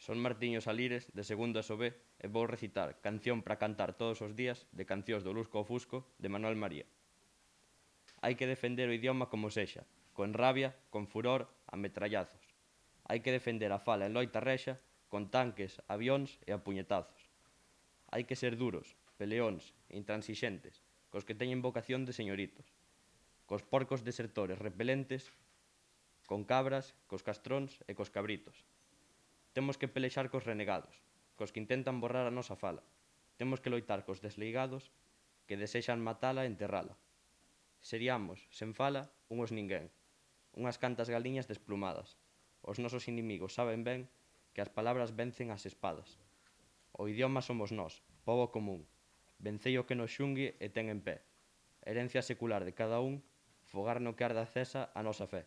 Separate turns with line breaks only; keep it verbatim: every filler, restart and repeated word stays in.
Son Martiño Salires, de segundo S O B, e vou recitar Canción para cantar todos os días de Cancións do Lusco ao Fusco, de Manuel María. Hai que defender o idioma como sexa, con rabia, con furor, a metrallazos. Hai que defender a fala en loita rexa, con tanques, avións e a puñetazos. Hai que ser duros, peleóns, intransixentes, cos que teñen vocación de señoritos, cos porcos desertores repelentes, con cabras, cos castróns e cos cabritos. Temos que pelexar cos renegados, cos que intentan borrar a nosa fala. Temos que loitar cos desleigados que desexan matala e enterrala. Seriamos, sen fala, unhos ninguén, unhas cantas galiñas desplumadas. Os nosos inimigos saben ben que as palabras vencen as espadas. O idioma somos nós, pobo común. Vencei o que nos xungue e ten en pé. Herencia secular de cada un, fogar no que arde acesa a nosa fe.